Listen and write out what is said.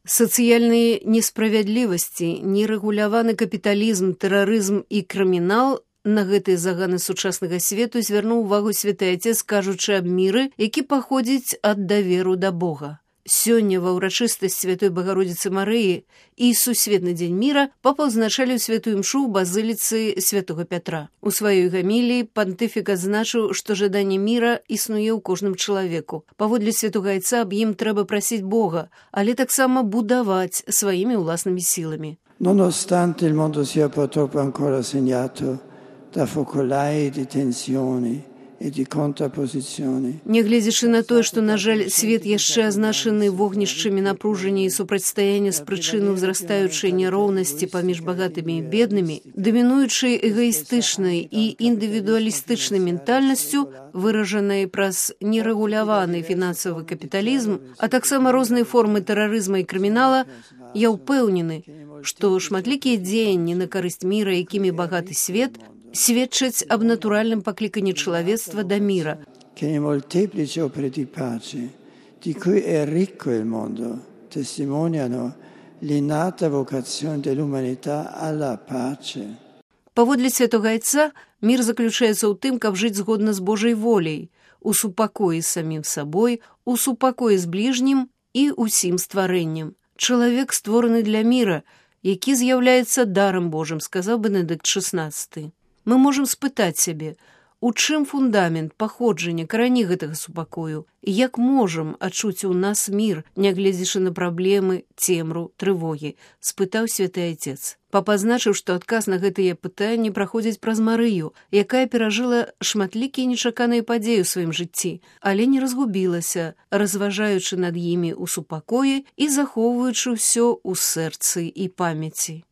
Сацыяльныя несправядлівасці, нерэгуляваны капіталізм, тэрарызм і крымінал на гэтыя заганы сучаснага свету звярнуў увагу святы Отец, кажучы аб міры, які паходзіць ад даверу да Бога. Сёння ва ўрачыстасць Святой Багародзіцы Марыі і Сусветны дзень міра папа ўзначаліў святую імшу ў базыліцы святого Пятра. У сваёй гаміліі пантыфік адзначыў, што жаданне міра існуе ў кожным чалавеку. Паводле святога Айца аб ім трэба прасіць Бога, але таксама будаваць сваімі ўласнымі сіламі. Nonostante il mondo sia purtroppo ancora segnato da focolai di tensioni і контрапозіцыёны. Нягледзячы на тое, што, на жаль, свет яшчэ азначаны вогнішчамі напружання і супрацьстаяння з прычыны ўзрастаючай няроўнасці паміж багатымі і беднымі, дамінуючай эгаістычнай і індывідуалістычнай ментальнасцю, выражанай праз нерэгуляваны фінансавы капіталізм, а таксама розныя формы тэрарызма і крымінала, я ўпэўнены, што шматлікія дзеянні на карысць міра, якімі багаты свет, сведчаць аб натуральным пакліканні чалавецтва да міра. Che i molteplici opere di pace, di cui è ricco il mondo, testimoniano l'innata vocazione dell'umanità alla pace. Паводле святога Айца, мір заключаецца ў тым, каб жыць згодна з Божай воляй, у супакоі з самім сабой, у супакоі з бліжнім і ўсім стварэннем. Чалавек створаны для міра, які з'яўляецца дарам Божым, сказаў Бенедыкт XVI. Мы можам спытаць сябе, у чым фундамент, паходжання, карані гэтага супакою, і як можам адчуць у нас мір, нягледзячы на праблемы, цемру, трывогі, спытаў святы Отец. Папа азначыў, што адказ на гэтыя пытанні праходзіць праз Марыю, якая перажыла шматлікія нечаканыя падзеі ў сваім жыцці, але не разгубілася, разважаючы над імі ў супакоі і захоўваючы ўсё ў сэрцы і памяці.